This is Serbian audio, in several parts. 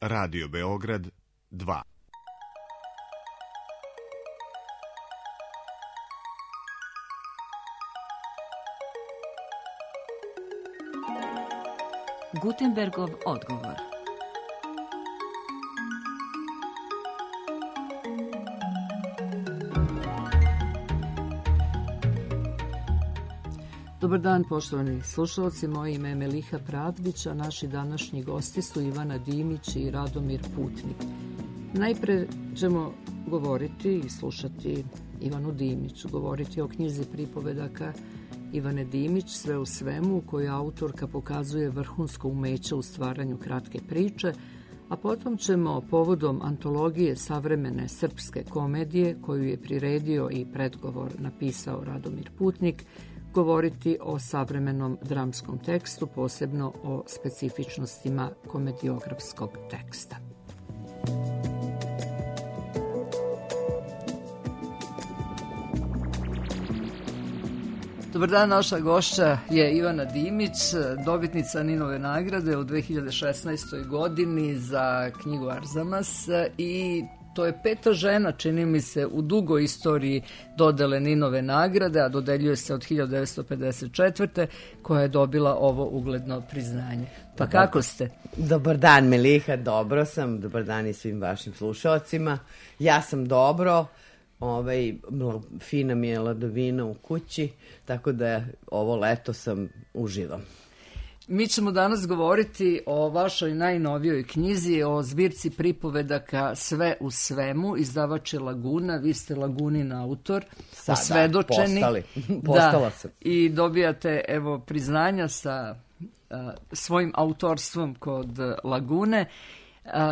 Radio Beograd 2. Gutenbergov odgovor. Dobar dan, poštovani slušalci. Moje ime je Meliha Pravdić, a naši današnji gosti su Ivana Dimić i Radomir Putnik. Najpre ćemo govoriti i slušati Ivanu Dimić, govoriti o knjizi pripovedaka Ivane Dimić, Sve u svemu, u kojoj autorka pokazuje vrhunsko umeće u stvaranju kratke priče, a potom ćemo povodom antologije savremene srpske komedije, koju je priredio i predgovor napisao Radomir Putnik, govoriti o savremenom dramskom tekstu, posebno o specifičnostima komediografskog teksta. Dobar dan, naša gošća je Ivana Dimić, dobitnica Ninove nagrade u 2016. godini za knjigu Arzamas i to je peta žena, čini mi se, u dugoj istoriji dodele Ninove nagrade, a dodeljuje se od 1954. koja je dobila ovo ugledno priznanje. Pa kako ste? Dobar dan, Meliha, dobro sam. Dobar dan i svim vašim slušalcima. Ja sam dobro. Fina mi je ladovina u kući, tako da ovo leto sam uživam. Mi ćemo danas govoriti o vašoj najnovijoj knjizi, o zbirci pripovedaka Sve u svemu, izdavač je Laguna, vi ste Lagunin autor, osvedočeni. Postala sam. I dobijate priznanja sa svojim autorstvom kod Lagune.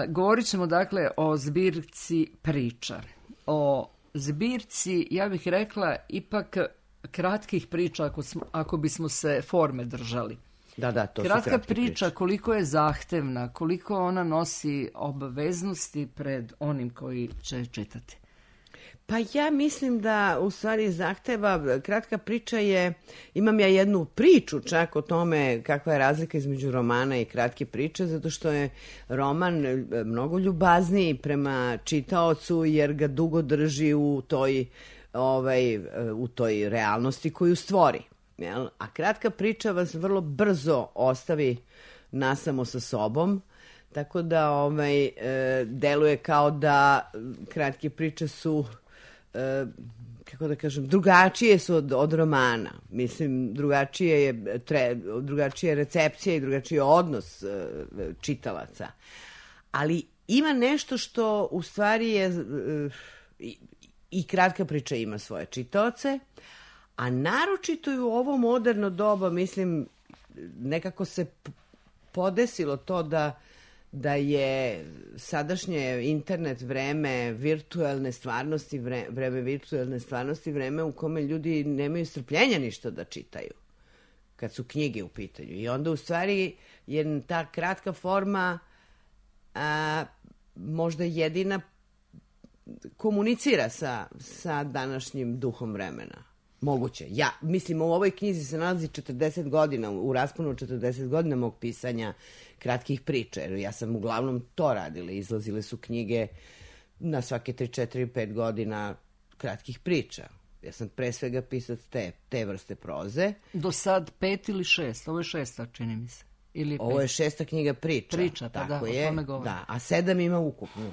Govorit ćemo dakle o zbirci priča, o zbirci, ja bih rekla, ipak kratkih priča ako bismo se forme držali. Da, to kratka su kratke priča, koliko je zahtevna, koliko ona nosi obaveznosti pred onim koji će čitati. Pa ja mislim da u stvari zahteva, kratka priča je, imam ja jednu priču čak o tome kakva je razlika između romana i kratke priče, zato što je roman mnogo ljubazniji prema čitaocu jer ga dugo drži u toj realnosti koju stvori. Jel? A kratka priča vas vrlo brzo ostavi nasamo sa sobom, tako da deluje kao da kratke priče su, kako da kažem, drugačije su od romana. Mislim, drugačija je recepcija i drugačiji je odnos čitalaca. Ali ima nešto što u stvari je, i kratka priča ima svoje čitaoce, a naročito i u ovo moderno doba, mislim, nekako se podesilo to da je sadašnje internet vreme virtualne stvarnosti, vreme u kome ljudi nemaju strpljenja ništa da čitaju, kad su knjige u pitanju. I onda u stvari je ta kratka forma možda jedina komunicira sa današnjim duhom vremena. Moguće. Ja, mislim, u ovoj knjizi se nalazi 40 godina, u rasponu 40 godina mog pisanja kratkih priča, jer ja sam uglavnom to radila. Izlazile su knjige na svake 3, 4, 5 godina kratkih priča. Ja sam pre svega pisac te vrste proze. Do sad 5 ili 6, ovo je 6, čini mi se. Ili ovo je 6. knjiga priča. Priča, pa da, o tome govorim. Da, a 7 ima ukupno.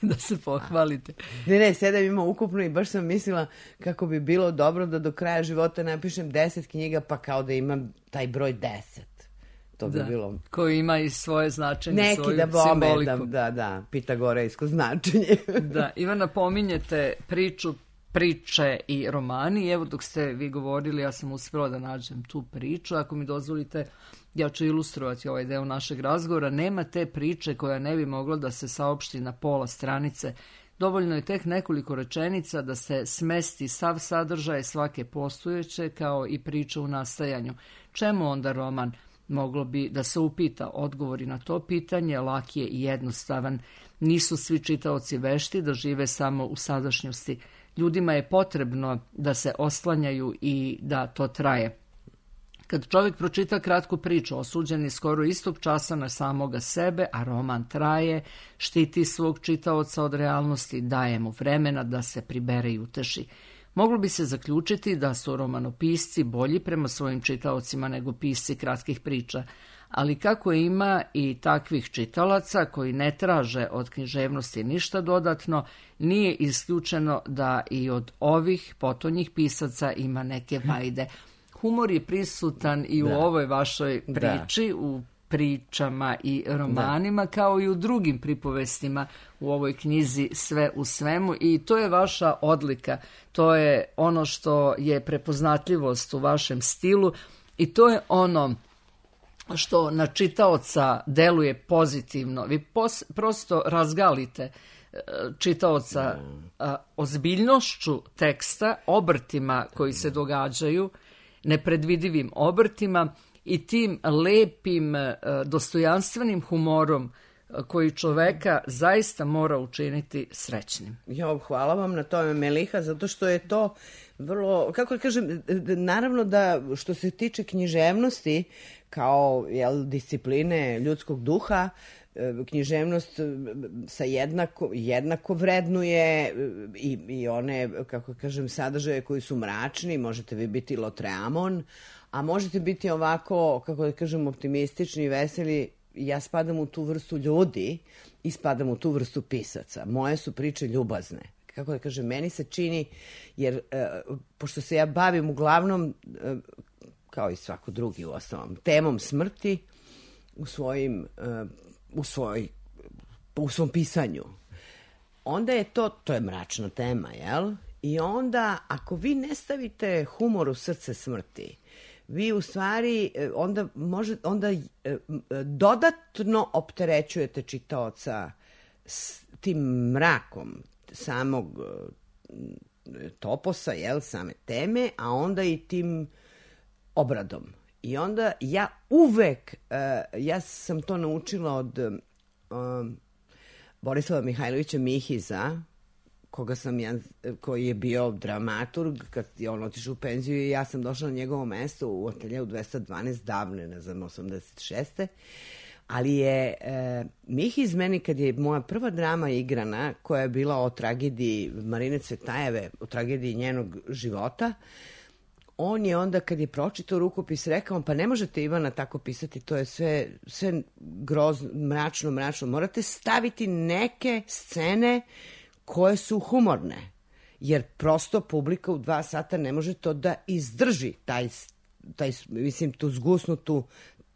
Da se pohvalite. Ne, 7 ima ukupno i baš sam mislila kako bi bilo dobro da do kraja života napišem 10 knjiga, pa kao da imam taj broj 10. To bi bilo... Koji ima i svoje značenje, neki svoju simboliku. Da, pitagorejsko značenje. Da, Ivana, pominjete priče i romani. Evo, dok ste vi govorili, ja sam uspjela da nađem tu priču. Ako mi dozvolite, ja ću ilustrovati ovaj deo našeg razgovora. Nema te priče koja ne bi mogla da se saopšti na pola stranice. Dovoljno je tek nekoliko rečenica da se smesti sav sadržaj svake postojeće, kao i priča u nastajanju. Čemu onda roman? Moglo bi da se upita. Odgovori na to pitanje lak je i jednostavan. Nisu svi čitaoci vešti da žive samo u sadašnjosti. Ljudima je potrebno da se oslanjaju i da to traje. Kad čovjek pročita kratku priču, osuđen je skoro istog časa na samoga sebe, a roman traje, štiti svog čitaoca od realnosti, daje mu vremena da se pribere i uteši. Moglo bi se zaključiti da su romanopisci bolji prema svojim čitaocima nego pisci kratkih priča, ali kako ima i takvih čitalaca koji ne traže od književnosti ništa dodatno, nije isključeno da i od ovih potonjih pisaca ima neke vajde. Humor je prisutan i u ovoj vašoj priči, u pričama i romanima, kao i u drugim pripovestima u ovoj knjizi Sve u svemu, i to je vaša odlika, to je ono što je prepoznatljivost u vašem stilu i to je ono što na čitaoca deluje pozitivno. Vi prosto razgalite čitaoca ozbiljnošću teksta, obrtima koji se događaju, nepredvidivim obrtima i tim lepim, dostojanstvenim humorom koji čoveka zaista mora učiniti srećnim. Hvala vam na tome, Meliha, zato što je to vrlo, kako kažem, naravno da što se tiče književnosti kao discipline ljudskog duha, književnost sa jednako vrednuje i one, kako kažem, sadržaje koji su mračni. Možete vi biti Lotreamon, a možete biti ovako, kako da kažem, optimistični i veseli. Ja spadam u tu vrstu ljudi i spadam u tu vrstu pisaca. Moje su priče ljubazne. Kako da kažem, meni se čini, jer pošto se ja bavim uglavnom, kao i svako drugi u osnovom, temom smrti u svom pisanju, onda je to je mračna tema, jel? I onda, ako vi ne stavite humor u srce smrti, vi u stvari onda dodatno opterećujete čitaoca s tim mrakom samog toposa, jel, same teme, a onda i tim obradom. I onda ja uvek, ja sam to naučila od Borislava Mihajlovića Mihiza, koji je bio dramaturg, kad je on otišao u penziju i ja sam došla na njegovo mesto u ateljeu 212 davne, ne znam, 86. Ali je Mihiz meni, kad je moja prva drama igrana, koja je bila o tragediji Marine Cvetajeve, o tragediji njenog života, on je onda, kad je pročitao rukopis, rekao, pa ne možete, Ivana, tako pisati, to je sve grozno, mračno, morate staviti neke scene koje su humorne, jer prosto publika u 2 sata ne može to da izdrži, mislim, tu zgusnutu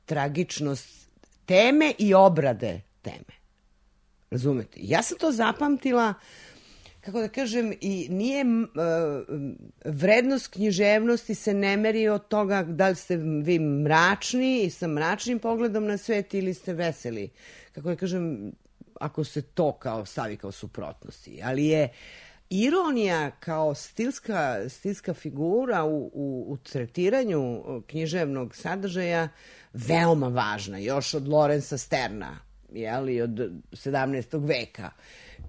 tragičnost teme i obrade teme. Razumete? Ja sam to zapamtila, kako da kažem, i nije vrednost književnosti se ne meri od toga da li ste vi mračni i sa mračnim pogledom na svet ili ste veseli. Kako da kažem, ako se to stavi kao suprotnosti. Ali je ironija kao stilska figura u tretiranju književnog sadržaja veoma važna, još od Lorenza Sterna, i od 17. veka,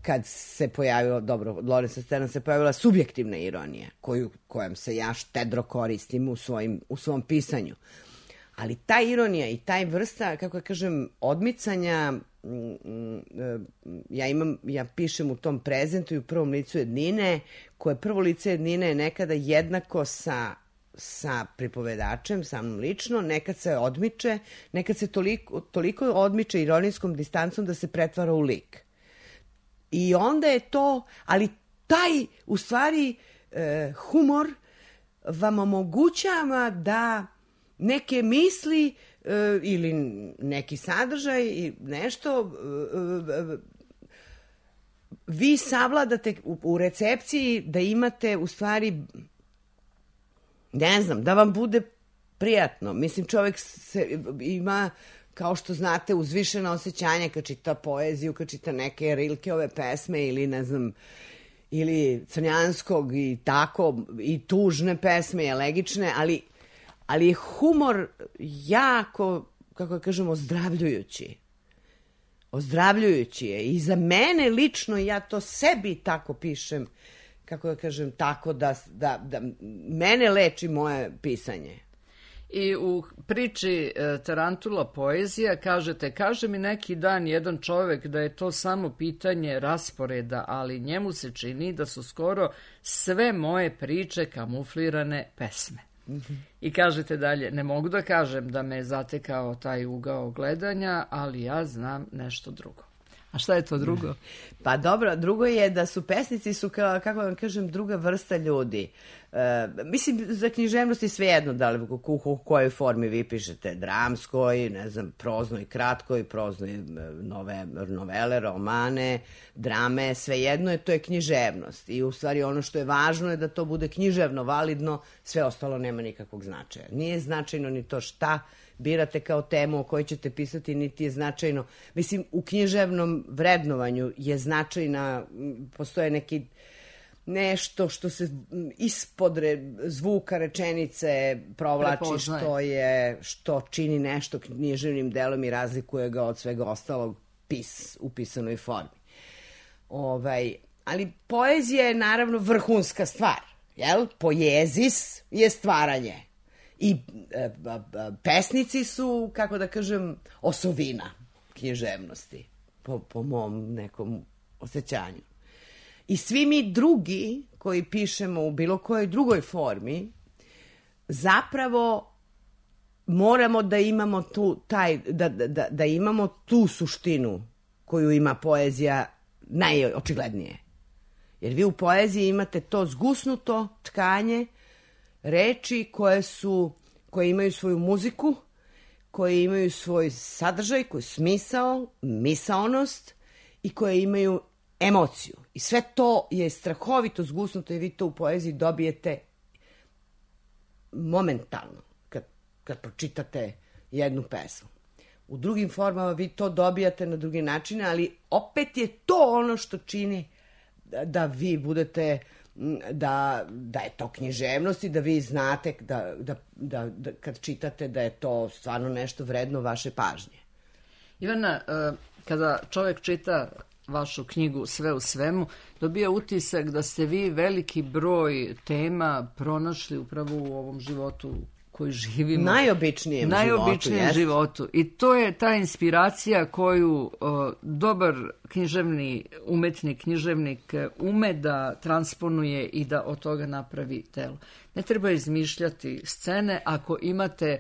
kad se pojavila, od Lorenza Sterna se pojavila subjektivna ironija, kojom se ja štedro koristim u svom pisanju. Ali ta ironija i taj vrsta, kako kažem, odmicanja, ja pišem u tom prezentu i u prvom licu jednine, koje prvo lice jednine je nekada jednako sa pripovedačem, sa mnom lično, nekad se odmiče, nekad se toliko odmiče ironijskom distancom da se pretvara u lik. I onda je to, ali taj, u stvari, humor vam omogućava da neke misli ili neki sadržaj i nešto vi savladate u recepciji, da imate u stvari, ne znam, da vam bude prijatno. Mislim, čovjek ima, kao što znate, uzvišena osjećanja kad čita poeziju, kad čita neke Rilkeove pesme ili ne znam, ili Crnjanskog i tako, i tužne pesme i elegične, ali je humor jako, kako kažemo, ozdravljujući. Ozdravljujući je. I za mene lično, ja to sebi tako pišem, kako da kažem, tako da mene leči moje pisanje. I u priči Tarantula poezija kažete, kaže mi neki dan jedan čovek da je to samo pitanje rasporeda, ali njemu se čini da su skoro sve moje priče kamuflirane pesme. I kažete dalje, ne mogu da kažem da me je zatekao taj ugao gledanja, ali ja znam nešto drugo. A šta je to drugo? Pa dobro, drugo je da su pesnici su, kako vam kažem, druga vrsta ljudi. Mislim, za književnost je svejedno da li u kojoj formi vi pišete, dramskoj, ne znam, proznoj, kratkoj, proznoj novele, romane, drame, svejedno je, to je književnost. I u stvari ono što je važno je da to bude književno, validno, sve ostalo nema nikakvog značaja. Nije značajno ni to šta birate kao temu o kojoj ćete pisati, niti je značajno. Mislim, u književnom vrednovanju je značajna, postoje neki nešto što se ispod zvuka rečenice provlači, što čini nešto književnim delom i razlikuje ga od svega ostalog u pisanoj formi. Ali poezija je naravno vrhunska stvar, jel? Poezis je stvaranje. I pesnici su, kako da kažem, osovina književnosti, po mom nekom osjećanju. I svi mi drugi koji pišemo u bilo kojoj drugoj formi, zapravo moramo da imamo da imamo tu suštinu koju ima poezija najočiglednije. Jer vi u poeziji imate to zgusnuto tkanje reči koje imaju svoju muziku, koje imaju svoj sadržaj, koji smisao, misaonost i koje imaju emociju. I sve to je strahovito zgusnuto i vi to u poeziji dobijete momentalno kad pročitate jednu pesmu. U drugim formama vi to dobijate na drugi načine, ali opet je to ono što čini da vi budete, da je to književnost i da vi znate da kad čitate da je to stvarno nešto vredno vaše pažnje. Ivana, kada čovjek čita vašu knjigu Sve u svemu, dobija utisak da ste vi veliki broj tema pronašli upravo u ovom životu koji živimo. Najobičnijem životu. I to je ta inspiracija koju dobar književnik ume da transponuje i da od toga napravi delo. Ne treba izmišljati scene ako imate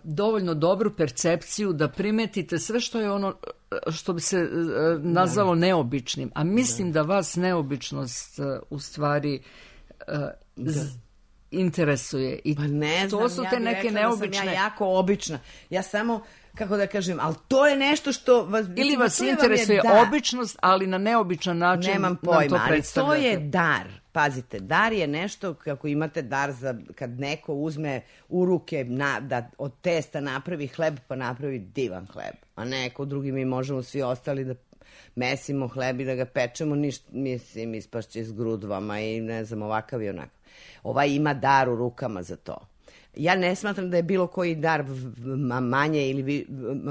dovoljno dobru percepciju da primetite sve što je ono što bi se nazvalo neobičnim. A mislim da vas neobičnost u stvari interesuje. I pa ne znam, to su te neke neobične... Da sam ja jako obična. Ja samo, kako da kažem, ali to je nešto što vas... Ili vas interesuje običnost, ali na neobičan način nemam pojma, ali to je dar. Pazite, dar je nešto, kako imate dar za kad neko uzme u ruke da od testa napravi hleb, pa napravi divan hleb. A neko drugi mi možemo svi ostali da mesimo hleb i da ga pečemo, mislim, ispašće s grudvama i ne znam, ovakav i onakav. Ovaj ima dar u rukama za to. Ja ne smatram da je bilo koji dar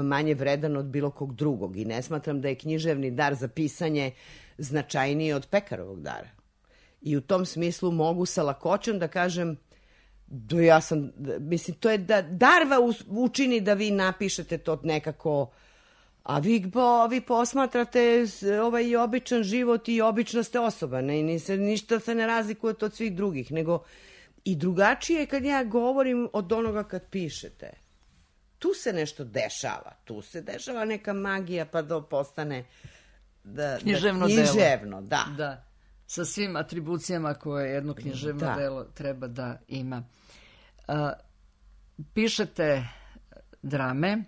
manje vredan od bilo kog drugog i ne smatram da je književni dar za pisanje značajniji od pekarovog dara. I u tom smislu mogu sa lakoćom da kažem mislim, to je da dar učini da vi napišete to nekako, a vi posmatrate ovaj običan život i obična ste osoba, ništa se ne razlikujete od svih drugih, nego i drugačije kad ja govorim od onoga kad pišete. Tu se nešto dešava, neka magija pa da postane književno, da. Sa svim atribucijama koje jedno književno delo treba da ima. Pišete drame,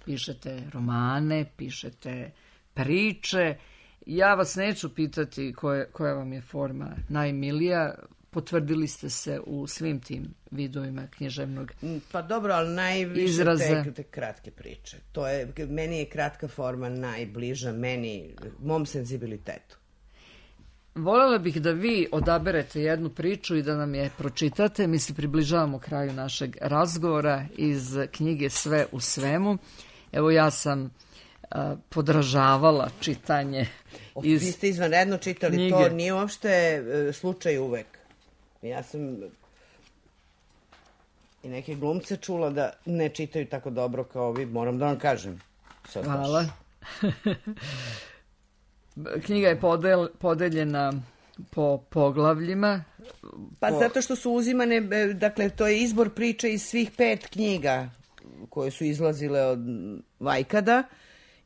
pišete romane, pišete priče. Ja vas neću pitati koja vam je forma najmilija. Potvrdili ste se u svim tim vidovima književnog izraza. Pa dobro, ali najviše te kratke priče. Meni je kratka forma najbliža mom senzibilitetu. Voljela bih da vi odaberete jednu priču i da nam je pročitate. Mi se približavamo kraju našeg razgovora iz knjige Sve u svemu. Evo, ja sam podražavala čitanje iz Vi ste izvanredno čitali knjige. To nije uopšte slučaj uvek. i neke glumce čula da ne čitaju tako dobro kao vi, moram da vam kažem. Sad hvala. Knjiga je podeljena po poglavljima. Pa zato što su uzimane, dakle, to je izbor priče iz svih 5 knjiga koje su izlazile od Vajkada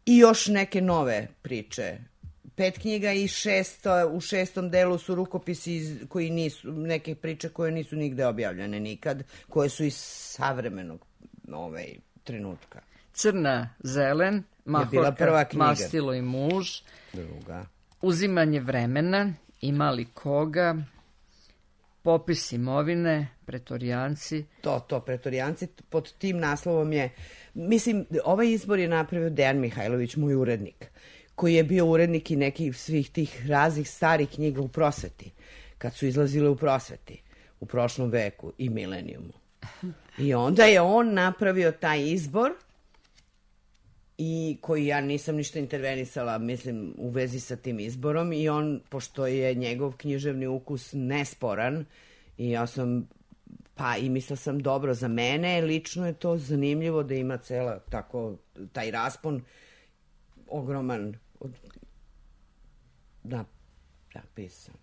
i još neke nove priče. 5 knjiga i u 6. delu su rukopisi koji nisu, neke priče koje nisu nigde objavljene nikad, koje su iz savremenog trenutka. Crna, zelen, Mahorka, Mastilo i muž, druga. Uzimanje vremena, Ima li koga, Popis imovine, Pretorijanci. To, Pretorijanci, pod tim naslovom je, mislim, ovaj izbor je napravio Dejan Mihajlović, moj urednik, koji je bio urednik i nekih svih tih raznih starih knjiga u prosveti, kad su izlazile u prosveti, u prošlom veku i milenijumu. I onda je on napravio taj izbor i koji ja nisam ništa intervenisala, mislim, u vezi sa tim izborom i on, pošto je njegov književni ukus nesporan i ja sam, pa i mislila sam dobro za mene, lično je to zanimljivo da ima cela tako, taj raspon ogroman, napisan.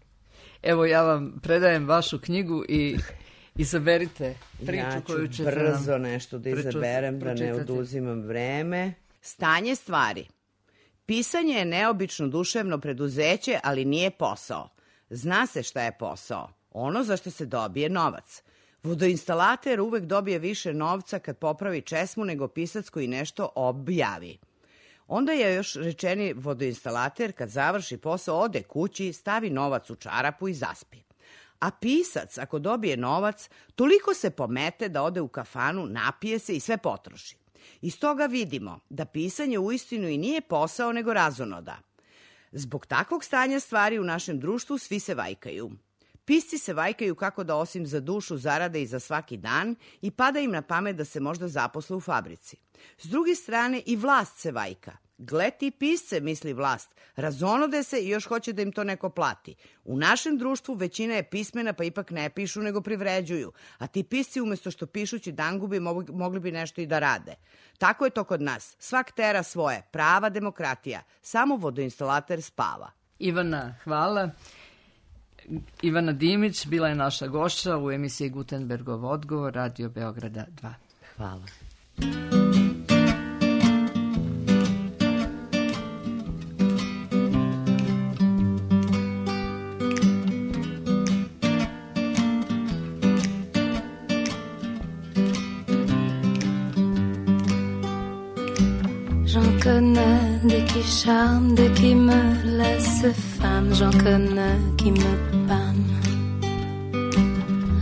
Evo ja vam predajem vašu knjigu i izaberite priču koju ćete nam... Ja ću brzo nešto da izaberem, da ne oduzimam vreme. Stanje stvari. Pisanje je neobično duševno preduzeće, ali nije posao. Zna se šta je posao. Ono za što se dobije novac. Vodoinstalater uvek dobije više novca kad popravi česmu nego pisac koji nešto objavi. Onda je još rečeni vodoinstalater kad završi posao ode kući, stavi novac u čarapu i zaspi. A pisac ako dobije novac, toliko se pomete da ode u kafanu, napije se i sve potroši. Iz toga vidimo da pisanje uistinu i nije posao nego razonoda. Zbog takvog stanja stvari u našem društvu svi se vajkaju. Pisci se vajkaju kako da osim za dušu zarade i za svaki dan i pada im na pamet da se možda zaposle u fabrici. S druge strane i vlast se vajka. Gle ti pisce, misli vlast, razonode se i još hoće da im to neko plati. U našem društvu većina je pismena pa ipak ne pišu nego privređuju, a ti pisci umesto što pišući dangubi mogli bi nešto i da rade. Tako je to kod nas. Svak tera svoje. Prava demokratija. Samo vodoinstalater spava. Ivana, hvala. Ivana Dimić bila je naša gošća u emisiji Gutenbergov odgovor, Radio Beograda 2. Hvala. J'en connais des qui charment, des qui me laissent femme. J'en connais qui me pâment.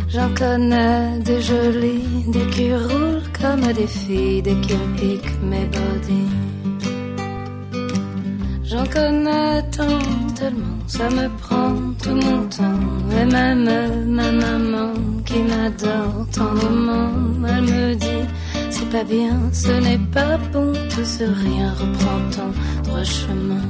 J'en connais des jolies, des qui roulent comme des filles, des qui piquent mes body. J'en connais tant, tellement, ça me prend tout mon temps. Et même ma maman qui m'adore tendrement, elle me dit: c'est pas bien, ce n'est pas bon, tout ce rien reprend ton droit chemin.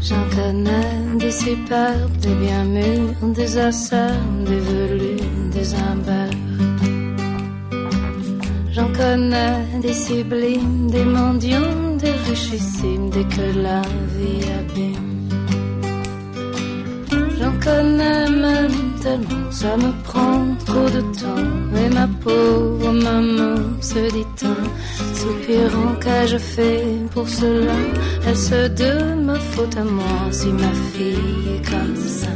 J'en connais des superbes, des bien mûrs, des asseurs, des velus, des imbeurs. J'en connais des sublimes, des mendiants, des richissimes, des que la vie abîme. J'en connais même tellement, ça me prend trop de temps. Et ma pauvre maman se dit-en, soupirant, qu'ai-je fait pour cela? Est-ce de ma faute à moi si ma fille est comme ça?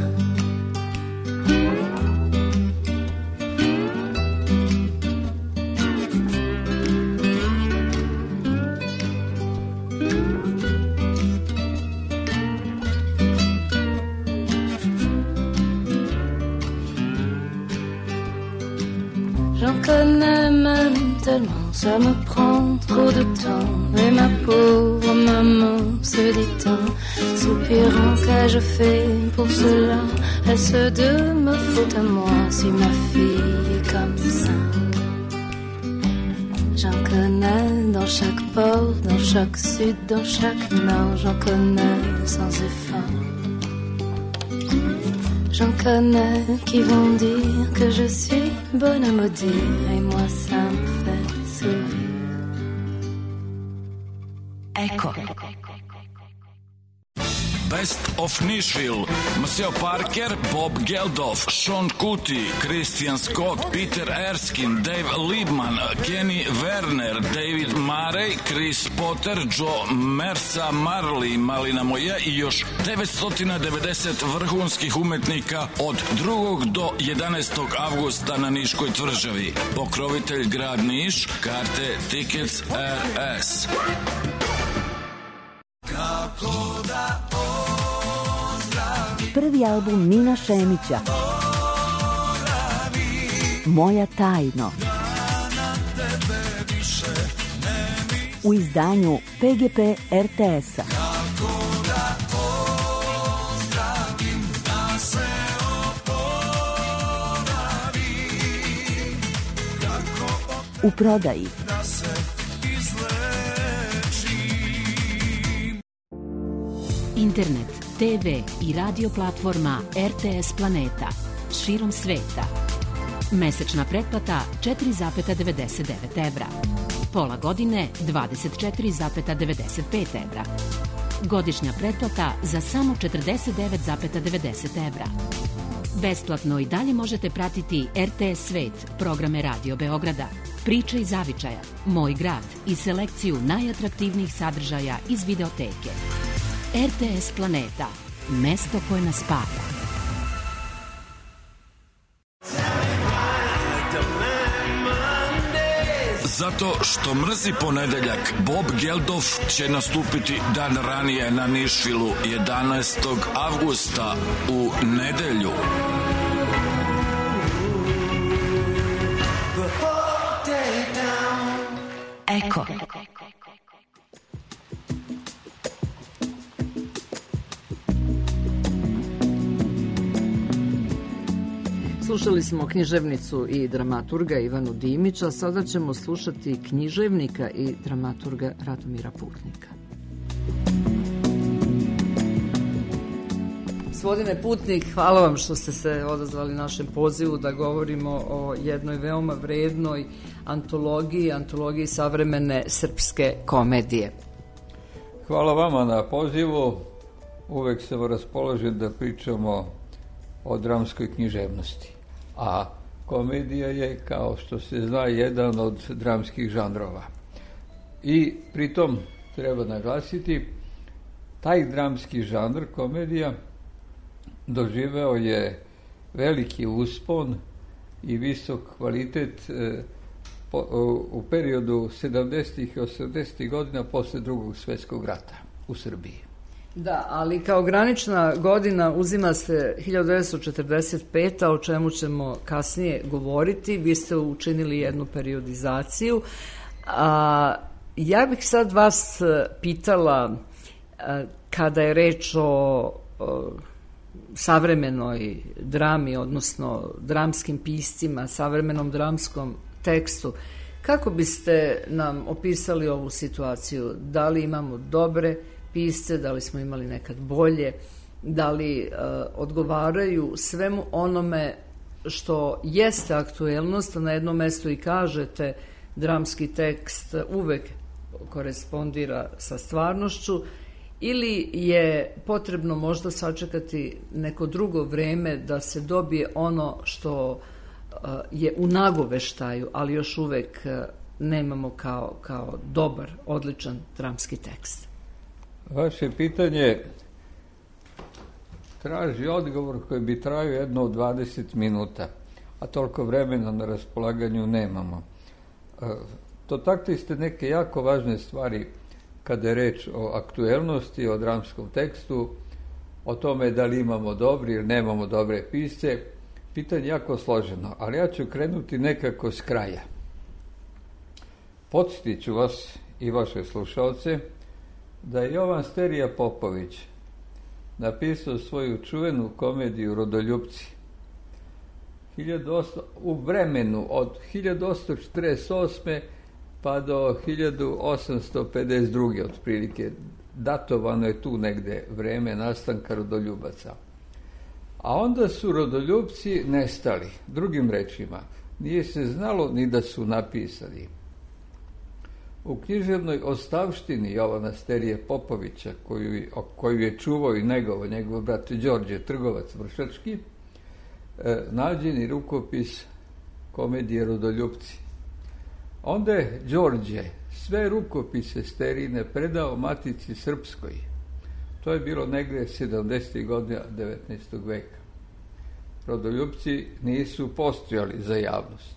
J'en connais même tellement, ça me prend trop de temps. Et ma pauvre maman se dit-en, soupirant, qu'ai-je fait pour cela? Est-ce de ma faute à moi si ma fille est comme ça? J'en connais dans chaque port, dans chaque sud, dans chaque nord. J'en connais sans effort. J'en connais qui vont dire que je suis bonne à maudire, et moi ça me fait sourire. Eko. Best of Nashville, Maceo Parker, Bob Geldof, Sean Kuti, Christian Scott, Peter Erskine, Dave Liebman, Kenny Werner, David Murray, Chris Potter, Joe Mersa, Marley, Malina Moje i još 990 vrhunskih umetnika od 2. do 11. avgusta na Niškoj tvrđavi. Pokrovitelj grad Niš, karte Tickets RS. Prvi album Nina Šemića Moja tajno u izdanju PGP RTS-a. U prodaji. Internet, TV i radio platforma RTS Planeta širom sveta. Mesečna pretplata 4,99 evra. Pola godine 24,95 evra. Godišnja pretplata za samo 49,90 evra. Besplatno i dalje možete pratiti RTS Svet, programe Radio Beograda, Priče iz zavičaja, Moj grad i selekciju najatraktivnijih sadržaja iz videoteke. RTS Planeta, mesto koje nas spaja. Zato što mrzi ponedeljak, Bob Geldof će nastupiti dan ranije na Nišvilu 11. avgusta u nedelju. Eko. Slušali smo književnicu i dramaturga Ivanu Dimića, sada ćemo slušati književnika i dramaturga Radomira Putnika. Gospodine Putnik, hvala vam što ste se odazvali našem pozivu da govorimo o jednoj veoma vrednoj antologiji savremene srpske komedije. Hvala vama na pozivu. Uvek sam raspoložen da pričamo o dramskoj književnosti. A komedija je, kao što se zna, jedan od dramskih žanrova. I pritom treba naglasiti, taj dramski žanr, komedija, doživeo je veliki uspon i visok kvalitet u periodu 70. i 80. godina posle Drugog svjetskog rata u Srbiji. Da, ali kao granična godina uzima se 1945. o čemu ćemo kasnije govoriti. Vi ste učinili jednu periodizaciju. Ja bih sad vas pitala, kada je reč o savremenoj drami, odnosno dramskim piscima, savremenom dramskom tekstu, kako biste nam opisali ovu situaciju? Da li imamo dobre pisce, da li smo imali nekad bolje, da li odgovaraju svemu onome što jeste aktuelnost, a na jednom mestu i kažete dramski tekst uvek korespondira sa stvarnošću, ili je potrebno možda sačekati neko drugo vreme da se dobije ono što je u nagoveštaju, ali još uvek nemamo kao dobar, odličan dramski tekst? Vaše pitanje traži odgovor koji bi trajao jedno od 20 minuta, a toliko vremena na raspolaganju nemamo. Dotakli ste neke jako važne stvari kada je reč o aktuelnosti, o dramskom tekstu, o tome da li imamo dobri ili nemamo dobre pisce. Pitanje jako složeno, ali ja ću krenuti nekako s kraja. Podsjetit ću vas i vaše slušalce da je Jovan Sterija Popović napisao svoju čuvenu komediju Rodoljupci u vremenu od 1848. pa do 1852. otprilike. Datovano je tu negde vreme nastanka rodoljubaca. A onda su rodoljubci nestali. Drugim rečima, nije se znalo ni da su napisani. U književnoj ostavštini Jovana Sterije Popovića, koju je čuvao i njegov brat Đorđe, trgovac vršački, nađen je rukopis komedije Rodoljupci. Onda je Đorđe sve rukopise Sterine predao Matici Srpskoj. To je bilo negde 70. godina 19. veka. Rodoljupci nisu postojali za javnost.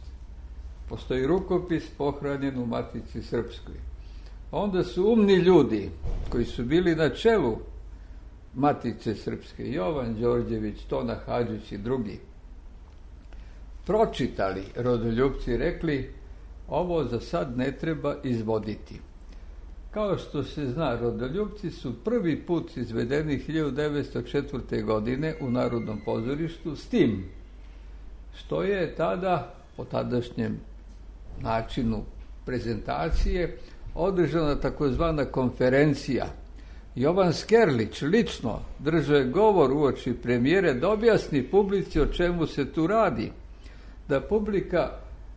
Postoji rukopis pohranjen u Matici Srpskoj. Onda su umni ljudi koji su bili na čelu Matice Srpske, Jovan Đorđević, Tona Hadžić i drugi, pročitali Rodoljupci i rekli: ovo za sad ne treba izvoditi. Kao što se zna, Rodoljupci su prvi put izvedeni 1904. godine u Narodnom pozorištu, s tim što je tada, po tadašnjem načinu prezentacije, održana takozvana konferencija. Jovan Skerlić lično držao je govor uoči premijere da objasni publici o čemu se tu radi, da publika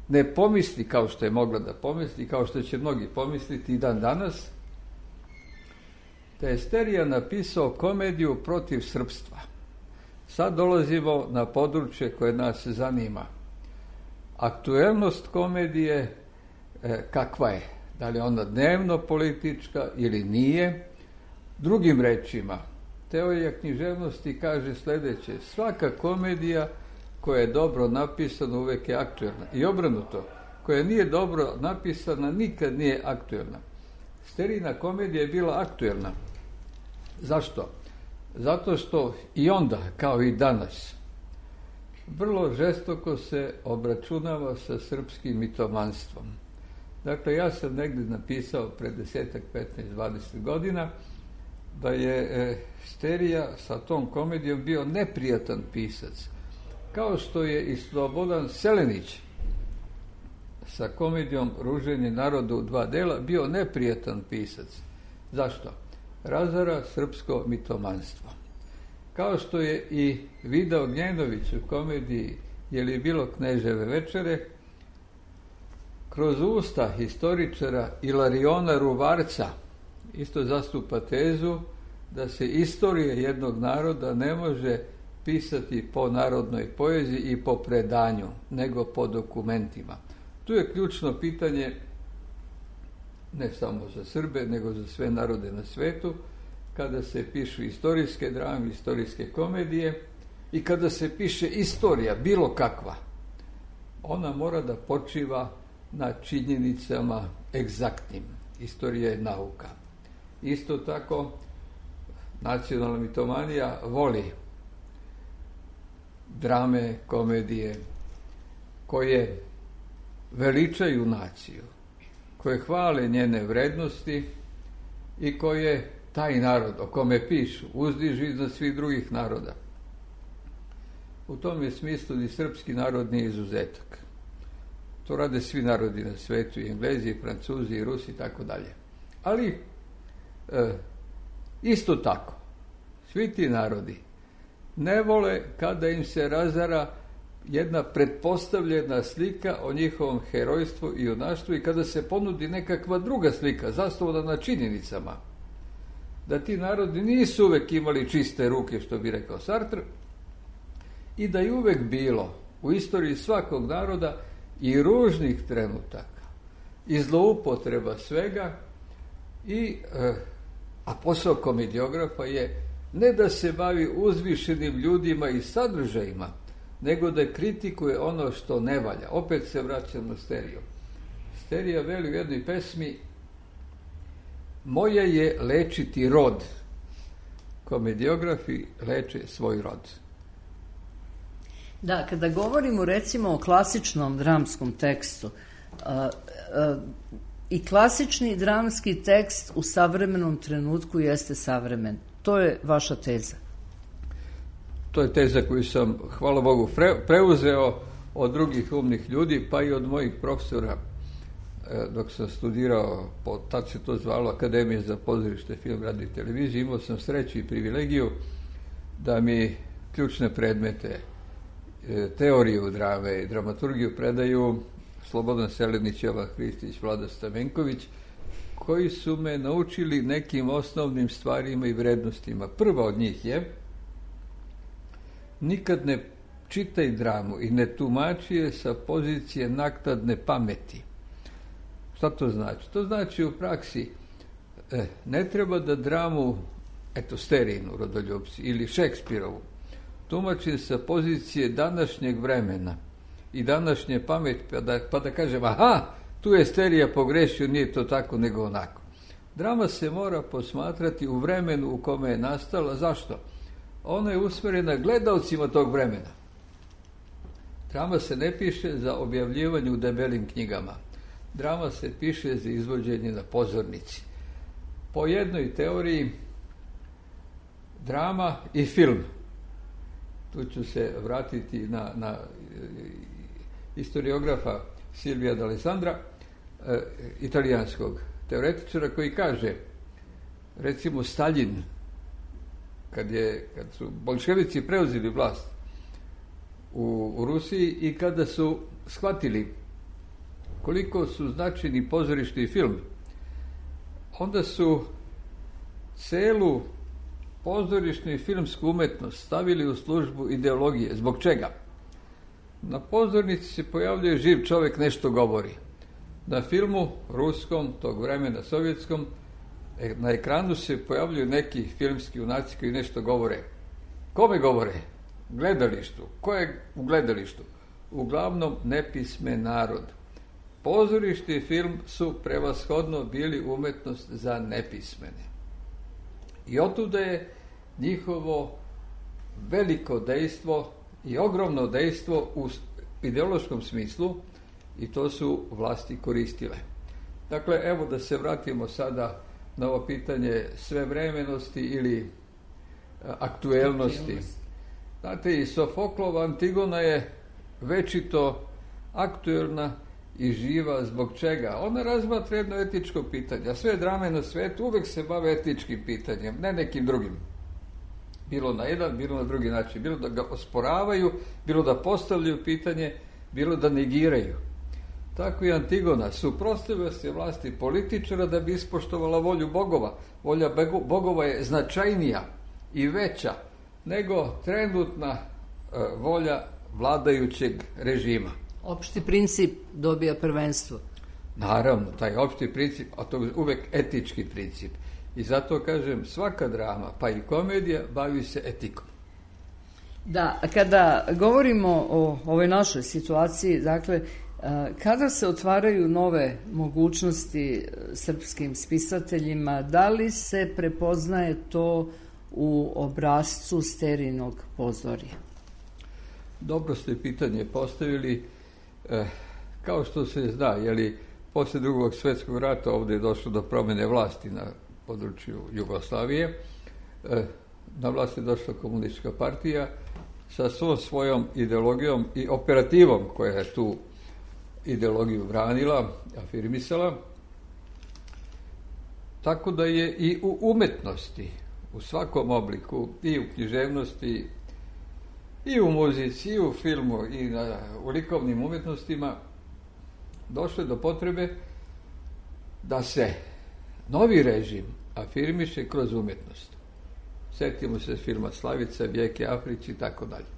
ne pomisli kao što je mogla da pomisli, kao što će mnogi pomisliti i dan danas, da je Sterija napisao komediju protiv srpstva. Sad dolazimo na područje koje nas zanima. Aktuelnost komedije kakva je? Da li je ona dnevno politička ili nije? Drugim rečima, teorija književnosti kaže sljedeće: svaka komedija koja je dobro napisana uvek je aktuelna. I obrnuto, koja nije dobro napisana nikad nije aktuelna. Sterina komedija je bila aktuelna. Zašto? Zato što i onda, kao i danas, vrlo žestoko se obračunava sa srpskim mitomanstvom. Dakle, ja sam negdje napisao pred 10, 15, 20 godina da je Sterija sa tom komedijom bio neprijatan pisac. Kao što je i Slobodan Selenić sa komedijom Ruženje naroda u 2 dela bio neprijatan pisac. Zašto? Razara srpsko mitomanstvo. Kao što je i Vida Ognjenović u komediji Je li bilo Kneževe večere, kroz usta historičara Ilariona Ruvarca isto zastupa tezu da se istorija jednog naroda ne može pisati po narodnoj poeziji i po predanju, nego po dokumentima. Tu je ključno pitanje ne samo za Srbe, nego za sve narode na svetu, kada se pišu istorijske drame, istorijske komedije i kada se piše istorija, bilo kakva, ona mora da počiva na činjenicama egzaktnim. Istorija je nauka. Isto tako, nacionalna mitomanija voli drame, komedije koje veličaju naciju, koje hvale njene vrednosti i koje taj narod o kome pišu uzdižu iznad svih drugih naroda. U tom je smislu ni srpski narod nije izuzetak. To rade svi narodi na svetu, i Englezi, i Francuzi, i Rusi, i tako dalje. Ali, isto tako, svi ti narodi ne vole kada im se razara jedna pretpostavljena slika o njihovom herojstvu i junaštvu i kada se ponudi nekakva druga slika, zasnovana na činjenicama. Da ti narodi nisu uvek imali čiste ruke, što bi rekao Sartre, i da je uvek bilo u istoriji svakog naroda i ružnih trenutaka, i zloupotreba svega, a posao komediografa je ne da se bavi uzvišenim ljudima i sadržajima, nego da kritikuje ono što ne valja. Opet se vraćam na Steriju. Sterija veli u jednoj pesmi: moje je lečiti rod. Komediografi leče svoj rod. Da, kada govorimo recimo o klasičnom dramskom tekstu, i klasični dramski tekst u savremenom trenutku jeste savremen. To je vaša teza. To je teza koju sam, hvala Bogu, preuzeo od drugih umnih ljudi, pa i od mojih profesora dok sam studirao, tad se to zvalo Akademija za pozorište, film, radio i televiziju, imao sam sreću i privilegiju da mi ključne predmete, teoriju drame i dramaturgiju predaju Slobodan Selenić, Jovan Hristić, Vlada Stamenković, koji su me naučili nekim osnovnim stvarima i vrednostima. Prva od njih je: nikad ne čitaj dramu i ne tumači je sa pozicije naknadne pameti. Šta to znači? To znači u praksi ne treba da dramu, Sterinu, Rodoljupci, ili Šekspirovu tumači sa pozicije današnjeg vremena i današnje pameti, pa da kažem, aha, tu je Sterija pogrešio, nije to tako nego onako. Drama se mora posmatrati u vremenu u kome je nastala. Zašto? Ona je usmjerena gledaocima tog vremena. Drama se ne piše za objavljivanje u debelim knjigama. Drama se piše za izvođenje na pozornici. Po jednoj teoriji, drama i film. Tu ću se vratiti na historiografa Silvija D'Alessandra, italijanskog teoretičara, koji kaže, recimo Staljin, kad su bolševici preuzeli vlast u Rusiji i kada su shvatili koliko su značajni pozorišni film, onda su celu pozorišnu i filmsku umetnost stavili u službu ideologije. Zbog čega? Na pozornici se pojavljuje živ čovjek, nešto govori. Na filmu ruskom, tog vremena sovjetskom, na ekranu se pojavljuju neki filmski junaci koji nešto govore. Kome govore? Gledalištu. Ko je u gledalištu? Uglavnom nepismen narod. Pozorište i film su prevashodno bili umetnost za nepismene. I otuda je njihovo veliko dejstvo i ogromno dejstvo u ideološkom smislu, i to su vlasti koristile. Dakle, evo da se vratimo sada na ovo pitanje svevremenosti ili aktuelnosti. Znate, i Sofoklova Antigona je večito aktuelna i živa. Zbog čega? Ona razmatra jedno etičko pitanje, a sve drame na svetu uvek se bave etičkim pitanjem, ne nekim drugim. Bilo na jedan, bilo na drugi način. Bilo da ga osporavaju, bilo da postavljaju pitanje, bilo da negiraju. Tako i Antigona suprotstavlja se vlasti političara da bi ispoštovala volju bogova. Volja bogova je značajnija i veća nego trenutna volja vladajućeg režima. Opšti princip dobija prvenstvo. Naravno, taj opšti princip, a to je uvek etički princip. I zato kažem, svaka drama, pa i komedija, bavi se etikom. Da, kada govorimo o ovoj našoj situaciji, dakle, kada se otvaraju nove mogućnosti srpskim spisateljima, da li se prepoznaje to u obrascu Sterinog pozorja? Dobro ste pitanje postavili. Kao što se zna, posle Drugog svjetskog rata ovdje je došlo do promjene vlasti na području Jugoslavije. Na vlast je došla komunistička partija sa svojom ideologijom i operativom koja je tu ideologiju branila, afirmisala. Tako da je i u umetnosti, u svakom obliku, i u književnosti, i u muzici, i u filmu, i u likovnim umjetnostima došlo do potrebe da se novi režim afirmiše kroz umjetnost. Sjetimo se filma Slavica, Vijeke Afrić i tako dalje.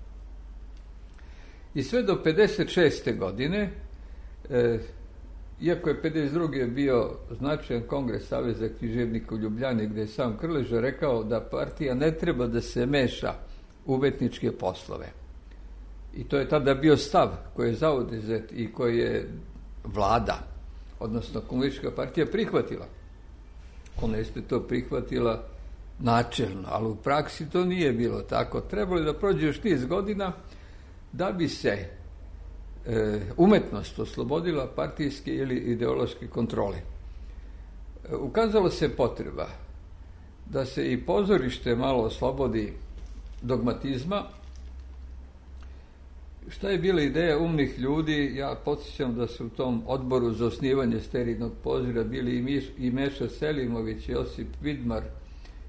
I sve do 56. godine, iako je 52. bio značajan kongres Saveza književnika u Ljubljani, gdje je sam Krleža rekao da partija ne treba da se meša u umetničke poslove. I to je tada bio stav koji je zauzet i koji je vlada, odnosno komunistička partija, prihvatila. Ona je to prihvatila načelno, ali u praksi to nije bilo tako. Trebalo je da prođe još niz godina da bi se umetnost oslobodila partijske ili ideološke kontrole. Ukazalo se potreba da se i pozorište malo oslobodi dogmatizma Šta je bila ideja umnih ljudi? Ja podsjećam da su u tom odboru za osnivanje sterilnog pozora bili i Meša Selimović, Josip Vidmar,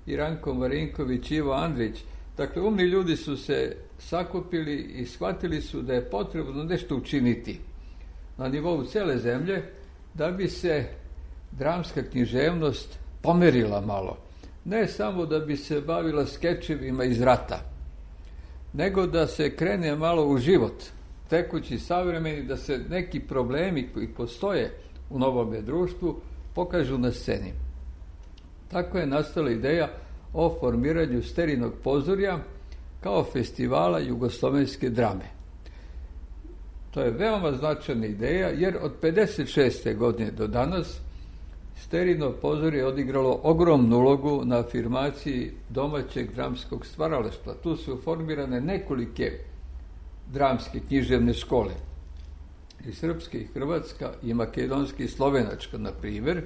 i Ranko Marinković, Ivo Andrić. Dakle, umni ljudi su se sakupili i shvatili su da je potrebno nešto učiniti na nivou cele zemlje da bi se dramska književnost pomerila malo. Ne samo da bi se bavila skečevima iz rata, nego da se krene malo u život, tekući, savremeni, da se neki problemi koji postoje u novome društvu pokažu na sceni. Tako je nastala ideja o formiranju sterilnog pozorja kao festivala jugoslovenske drame. To je veoma značajna ideja, jer od 56. godine do danas sterilno pozorje je odigralo ogromnu ulogu na afirmaciji domaćeg dramskog stvaralaštva. Tu su formirane nekolike dramske književne škole. I srpska, i hrvatska, i makedonska, i slovenačka, na primjer.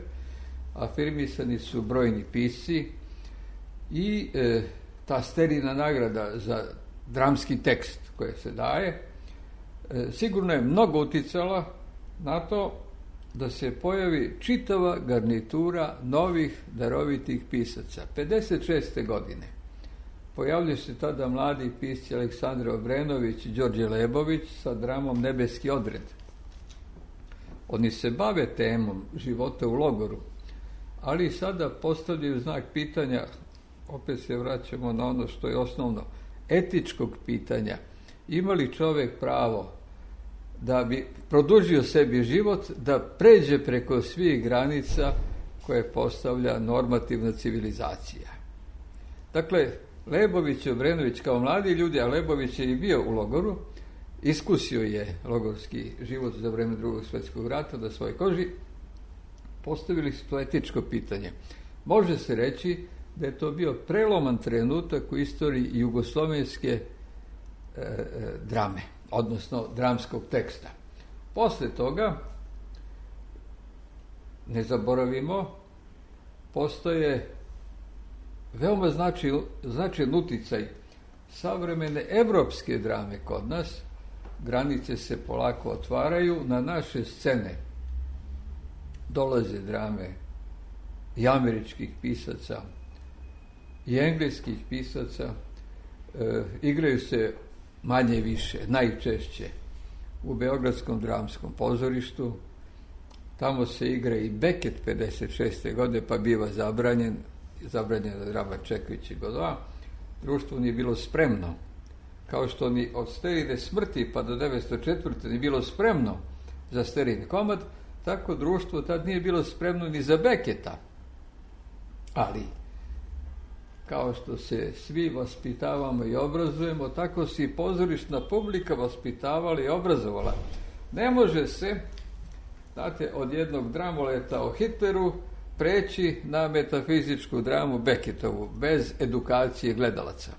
Afirmisani su brojni pisci i ta sterilna nagrada za dramski tekst koja se daje sigurno je mnogo uticala na to da se pojavi čitava garnitura novih darovitih pisaca. 56. godine pojavljaju se tada mladi pisci Aleksandar Obrenović i Đorđe Lebović sa dramom Nebeski odred. Oni se bave temom života u logoru, ali sada postavljaju znak pitanja, opet se vraćamo na ono što je osnovno, etičkog pitanja. Ima li čovjek pravo da bi produžio sebi život, da pređe preko svih granica koje postavlja normativna civilizacija? Dakle, Lebović i Obrenović kao mladi ljudi, a Lebović je i bio u logoru, iskusio je logorski život za vreme Drugog svjetskog rata na svojoj koži, postavili su to etičko pitanje. Može se reći da je to bio preloman trenutak u istoriji jugoslovenske drame, odnosno dramskog teksta. Posle toga, ne zaboravimo, postoje veoma značajan uticaj savremene evropske drame kod nas. Granice se polako otvaraju, na naše scene dolaze drame i američkih pisaca i engleskih pisaca, igraju se manje više, najčešće u Beogradskom dramskom pozorištu. Tamo se igra i Beckett 56. godine, pa biva zabranjena drama Čeković i Godoa. Društvo nije bilo spremno, kao što ni od sterilne smrti pa do 1904. nije bilo spremno za sterilni komad, tako društvo tad nije bilo spremno ni za Becketa. Ali, kao što se svi vaspitavamo i obrazujemo, tako se i pozorišna publika vaspitavala i obrazovala. Ne može se, znate, od jednog dramoleta o Hitleru preći na metafizičku dramu Becketovu, bez edukacije gledalaca.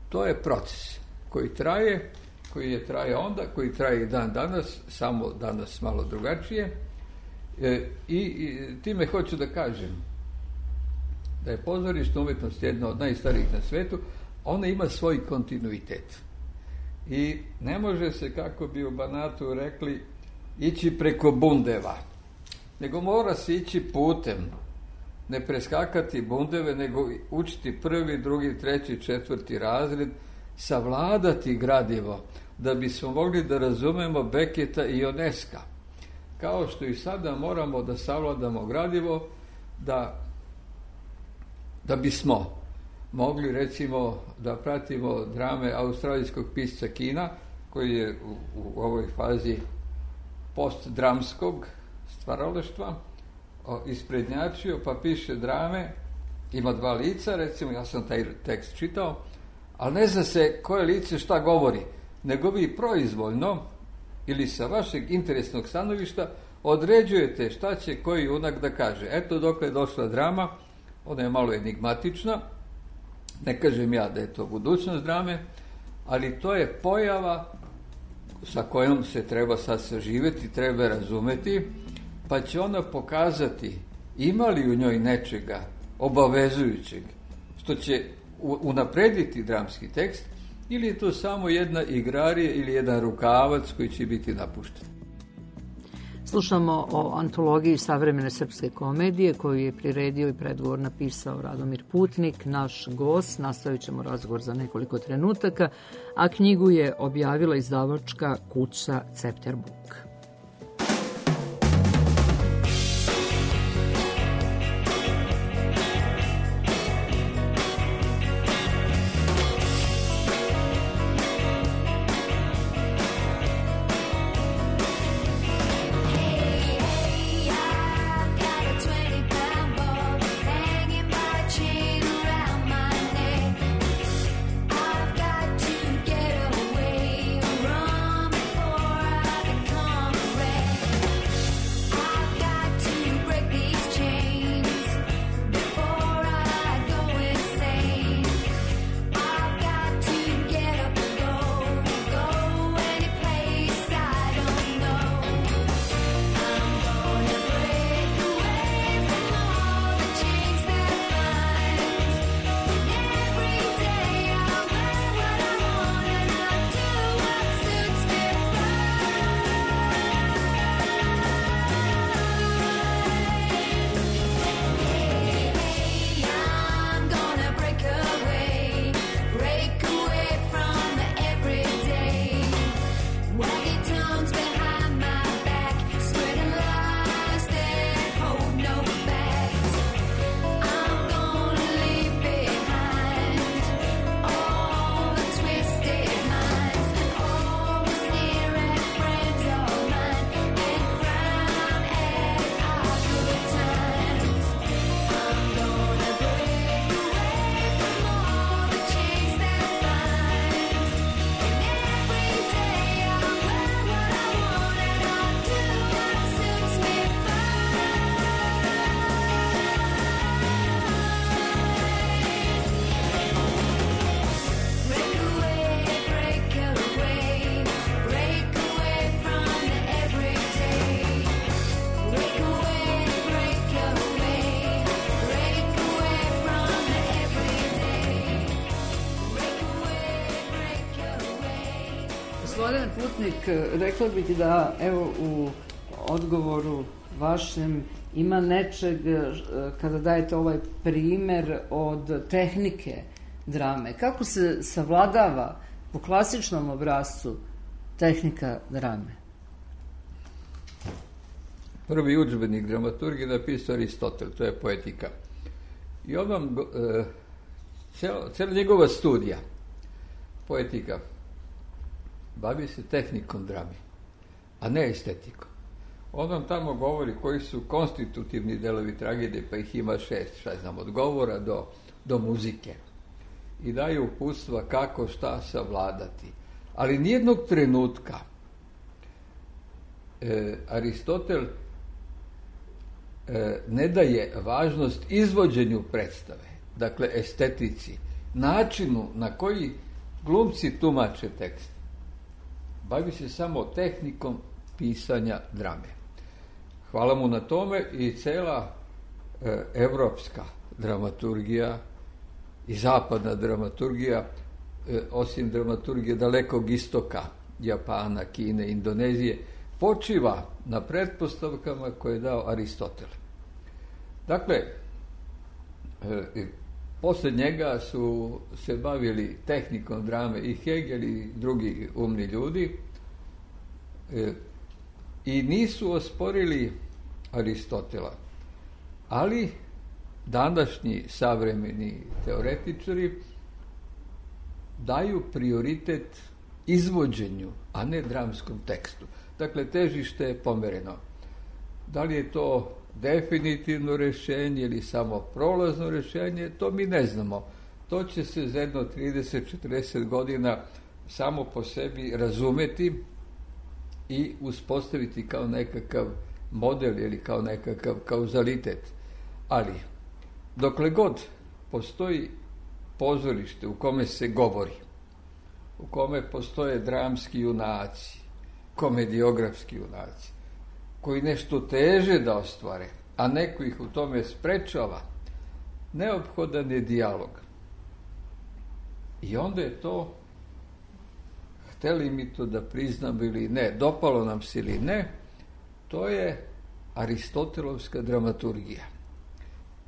To je proces koji traje, koji je traje onda, koji traje i dan danas, samo danas malo drugačije. I time hoću da kažem da je pozorišna umjetnost jedna od najstarijih na svetu, ona ima svoj kontinuitet. I ne može se, kako bi u Banatu rekli, ići preko bundeva, nego mora se ići putem, ne preskakati bundeve, nego učiti 1., 2., 3., 4. razred, savladati gradivo, da bismo mogli da razumemo Becketa i Ionesca. Kao što i sada moramo da savladamo gradivo, da bismo mogli, recimo, da pratimo drame australijskog pisca Kina, koji je u ovoj fazi postdramskog stvaralaštva isprednjačio, pa piše drame, ima 2 lica, recimo, ja sam taj tekst čitao, ali ne zna se koje lice šta govori, nego vi proizvoljno ili sa vašeg interesnog stanovišta određujete šta će koji junak da kaže. Eto dokle je došla drama, ona je malo enigmatična, ne kažem ja da je to budućnost drame, ali to je pojava sa kojom se treba sad saživeti, treba razumeti, pa će ona pokazati ima li u njoj nečega obavezujućeg, što će unaprediti dramski tekst, ili je to samo jedna igrarija ili jedan rukavac koji će biti napušten. Slušamo o antologiji savremene srpske komedije koju je priredio i predgovor napisao Radomir Putnik, naš gost. Nastavit ćemo razgovor za nekoliko trenutaka, a knjigu je objavila izdavačka kuća Cepter Book. Gospodine Putnik, rekla bih da evo u odgovoru vašem ima nečeg kada dajete ovaj primer od tehnike drame. Kako se savladava po klasičnom obrascu tehnika drame? Prvi udžbenik dramaturgije napisao Aristotel, to je poetika. I on vam, cijela njegova studija, poetika, bavi se tehnikom drame, a ne estetikom. On vam tamo govori koji su konstitutivni delovi tragedije, pa ih ima 6, od govora do muzike. I daju uputstva kako šta savladati. Ali nijednog trenutka Aristotel ne daje važnost izvođenju predstave, dakle estetici, načinu na koji glumci tumače tekst. Bavi se samo tehnikom pisanja drame. Hvala mu na tome i cela evropska dramaturgija i zapadna dramaturgija, osim dramaturgije dalekog istoka, Japana, Kine, Indonezije, počiva na pretpostavkama koje je dao Aristotel. Dakle, posle njega su se bavili tehnikom drame i Hegel i drugi umni ljudi i nisu osporili Aristotela. Ali današnji savremeni teoretičari daju prioritet izvođenju, a ne dramskom tekstu. Dakle, težište je pomereno. Da li je to definitivno rješenje ili samo prolazno rješenje, to mi ne znamo. To će se za jedno 30-40 godina samo po sebi razumeti i uspostaviti kao nekakav model ili kao nekakav kauzalitet. Ali, dokle god postoji pozorište u kome se govori, u kome postoje dramski junaci, komediografski junaci, koji nešto teže da ostvare, a neko ih u tome sprečava, neophodan je dijalog. I onda je to hteli mi to da priznamo ili ne, dopalo nam se ili ne, to je Aristotelovska dramaturgija.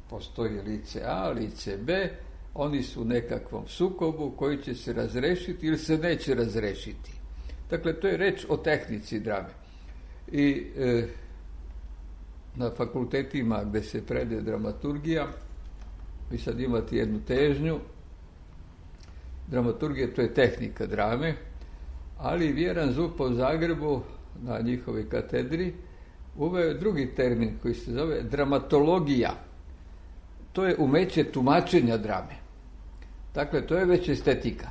Postoji lice A, lice B, oni su u nekakvom sukobu koji će se razrešiti ili se neće razrešiti. Dakle, to je reč o tehnici drame. I na fakultetima gde se predaje dramaturgija, vi sad imate jednu težnju, dramaturgija to je tehnika drame, ali Vjeran Zupa u Zagrebu na njihovoj katedri uveo je drugi termin koji se zove dramatologija. To je umeće tumačenja drame. Dakle, to je već estetika.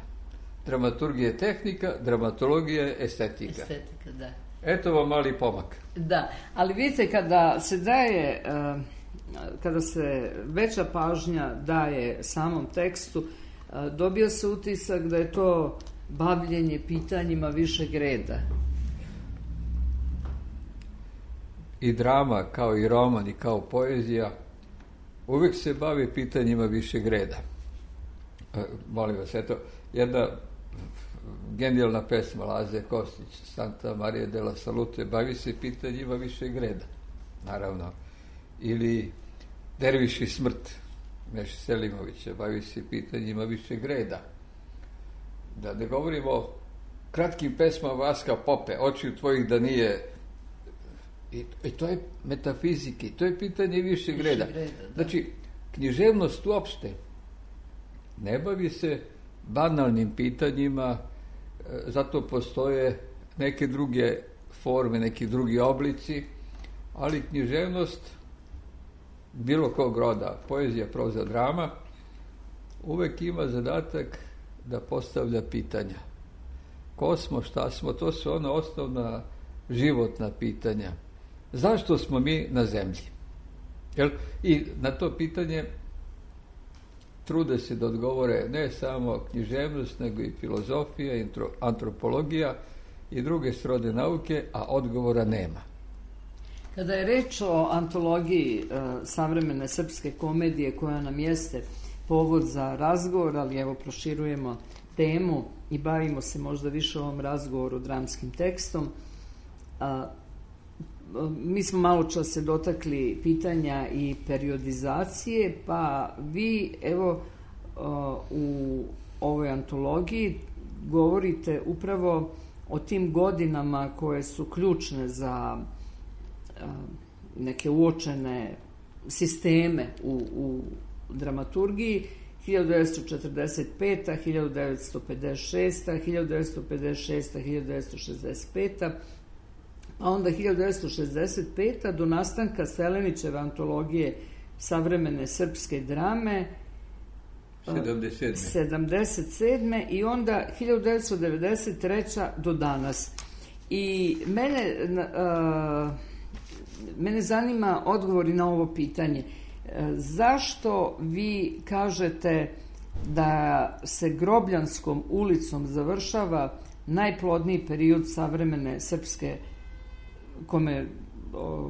Dramaturgija je tehnika, dramatologija je estetika. Estetika, da. Eto vam mali pomak. Da, ali vidite, kada se daje, kada se veća pažnja daje samom tekstu, dobio se utisak da je to bavljenje pitanjima višeg reda. I drama, kao i roman i kao poezija, uvijek se bavi pitanjima višeg reda. Molim vas, eto, jedna genijalna pesma Laze Kostić, Santa Maria della Salute, bavi se pitanjima višeg reda, naravno. Ili Derviš i smrt, Meše Selimovića, bavi se pitanjima višeg reda. Da ne govorimo o kratkim pesmama Vaska Pope, Očiju tvojih da nije... I to je metafizike, to je pitanje višeg reda. Znači, književnost uopšte ne bavi se banalnim pitanjima, zato postoje neke druge forme, neki drugi oblici, ali književnost bilo kog roda, poezija, proza, drama, uvek ima zadatak da postavlja pitanja. Ko smo, šta smo, to su ona osnovna životna pitanja. Zašto smo mi na zemlji? I na to pitanje trude se da odgovore ne samo književnost, nego i filozofija, antropologija i druge srodne nauke, a odgovora nema. Kada je reč o antologiji savremene srpske komedije, koja nam jeste povod za razgovor, ali evo proširujemo temu i bavimo se možda više ovom razgovoru dramskim tekstom, mi smo malo čas se dotakli pitanja i periodizacije, pa vi evo u ovoj antologiji govorite upravo o tim godinama koje su ključne za neke uočene sisteme u dramaturgiji, 1945. 1956. 1965. A onda 1965. do nastanka Selenićeve antologije savremene srpske drame 77. i onda 1993. do danas. I mene zanima odgovori na ovo pitanje. Zašto vi kažete da se Grobljanskom ulicom završava najplodniji period savremene srpske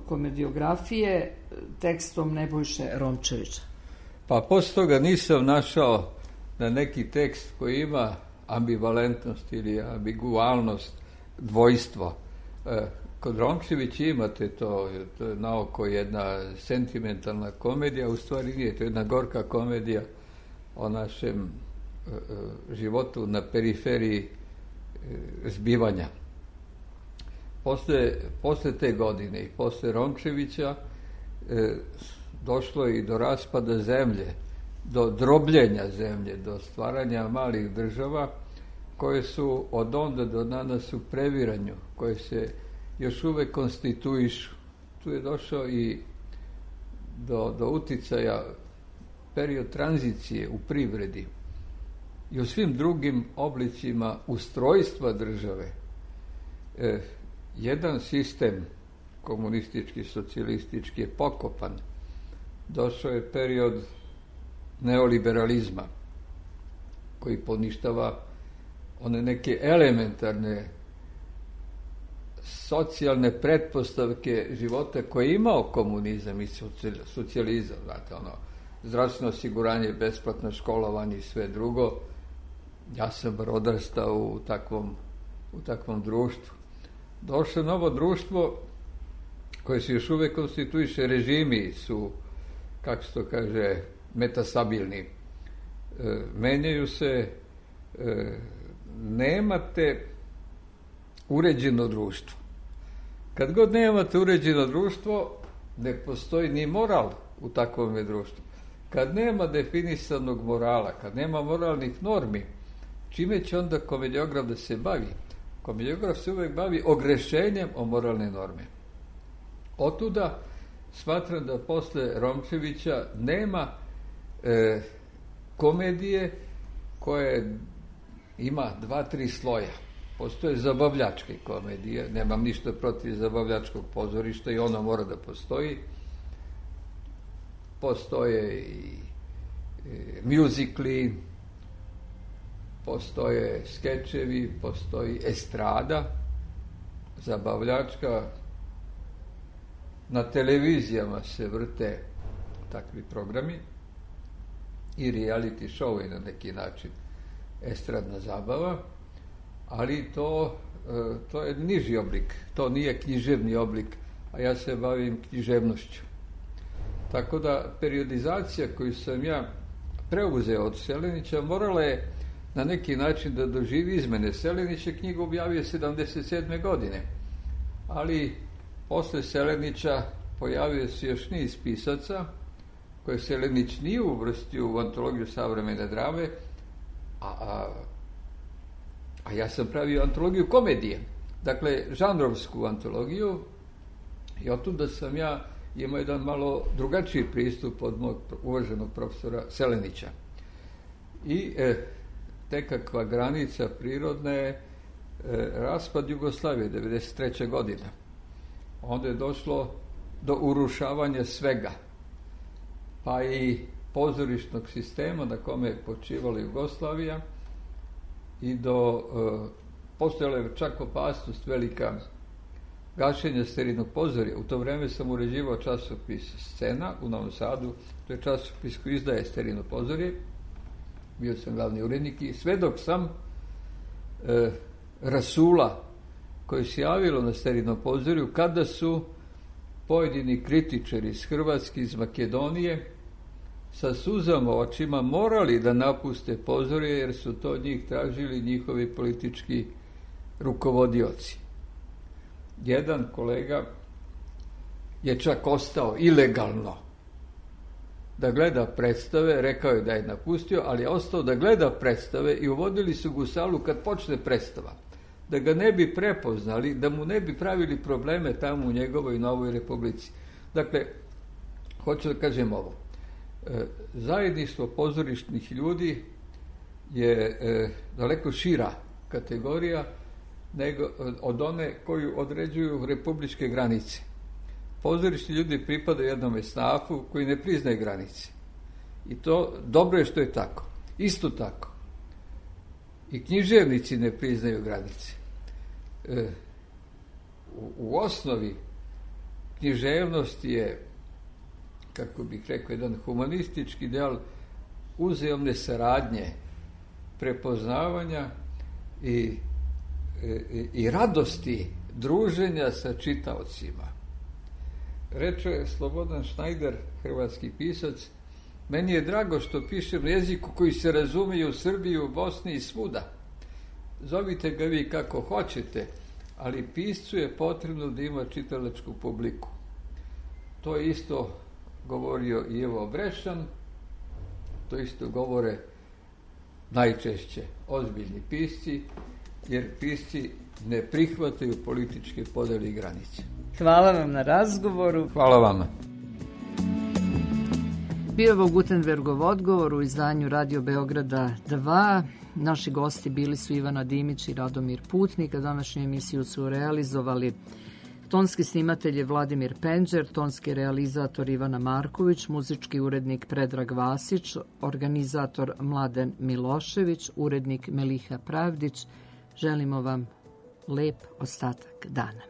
komediografije tekstom Nebojše Romčevića? Pa posle toga nisam našao na neki tekst koji ima ambivalentnost ili ambigualnost, dvojstvo. Kod Romčevića imate to je naoko jedna sentimentalna komedija, u stvari nije, to je jedna gorka komedija o našem životu na periferiji zbivanja. Posle te godine i posle Romčevića došlo i do raspada zemlje, do drobljenja zemlje, do stvaranja malih država koje su od onda do danas u previranju, koje se još uvek konstituišu. Tu je došao i do uticaja period tranzicije u privredi i u svim drugim oblicima ustrojstva države. Jedan sistem komunistički, socijalistički je pokopan. Došao je period neoliberalizma koji poništava one neke elementarne socijalne pretpostavke života koje je imao komunizam i socijalizam, znate, zdravstveno osiguranje, besplatno školovanje i sve drugo. Ja sam odrastao u takvom u takvom društvu. Došlo novo društvo koje se još uvek konstituiše, režimi su, kako se to kaže, metastabilni. Menjaju se, nemate uređeno društvo. Kad god nemate uređeno društvo, ne postoji ni moral u takvom društvu. Kad nema definisanog morala, kad nema moralnih normi, čime će onda komediograf da se bavi? Komediograf se uvek bavi ogrešenjem o moralne norme. Otuda smatram da posle Romčevića nema komedije koje ima 2-3 sloja. Postoje zabavljačke komedije, nemam ništa protiv zabavljačkog pozorišta i ono mora da postoji. Postoje i mjuzikli, postoje skečevi, postoji estrada, zabavljačka. Na televizijama se vrte takvi programi i reality show na neki način, estradna zabava, ali to je niži oblik, to nije književni oblik, a ja se bavim književnošću. Tako da periodizacija koju sam ja preuzeo od Selenića morala je na neki način da doživi izmene. Selenić je knjigu objavio 77. godine, ali posle Selenića pojavio se još niz pisaca koje Selenić nije uvrstio u antologiju savremene drame, a ja sam pravio antologiju komedije, dakle žanrovsku antologiju, i otuda sam ja imao jedan malo drugačiji pristup od mog uvaženog profesora Selenića. I nekakva granica prirodna je raspad Jugoslavije, 93. godina. Onda je došlo do urušavanja svega, pa i pozorišnog sistema na kome je počivala Jugoslavija, i postojala je čak opasnost velika gašenja Sterijnog pozorja. U to vreme sam uređivao časopis Scena u Novom Sadu, to je časopis koji izdaje Sterijno pozorje, bio sam glavni urednik i svedok sam rasula koje se javilo na Sterijnom pozorju kada su pojedini kritičari iz Hrvatske, iz Makedonije, sa suzama u očima morali da napuste pozorje jer su to od njih tražili njihovi politički rukovodioci. Jedan kolega je čak ostao ilegalno da gleda predstave, rekao je da je napustio, ali je ostao da gleda predstave i uvodili su ga u salu kad počne predstava, da ga ne bi prepoznali, da mu ne bi pravili probleme tamo u njegovoj Novoj Republici. Dakle, hoću da kažem ovo. Zajedništvo pozorišnih ljudi je daleko šira kategorija nego od one koju određuju republičke granice. Pozorišni ljudi pripadaju jednom esnafu koji ne priznaje granice. I to dobro je što je tako. Isto tako. I književnici ne priznaju granice. U osnovi književnost je, kako bih rekao, jedan humanistički ideal uzajamne saradnje, prepoznavanja i radosti druženja sa čitaocima. Reče Slobodan Šnajder, hrvatski pisac, meni je drago što pišem na jeziku koji se razumije u Srbiji, u Bosni i svuda. Zovite ga vi kako hoćete, ali piscu je potrebno da ima čitalačku publiku. To je isto govorio i Ivo Brešan, to isto govore najčešće ozbiljni pisci, jer pisci ne prihvataju političke podele i granice. Hvala vam na razgovoru. Hvala vama. Bio je Gutenbergov odgovor u izdanju Radio Beograda 2. Naši gosti bili su Ivana Dimić i Radomir Putnik, a današnju emisiju su realizovali tonski snimatelj je Vladimir Penđer, tonski realizator Ivana Marković, muzički urednik Predrag Vasić, organizator Mladen Milošević, urednik Meliha Pravdić. Želimo vam lep ostatak dana.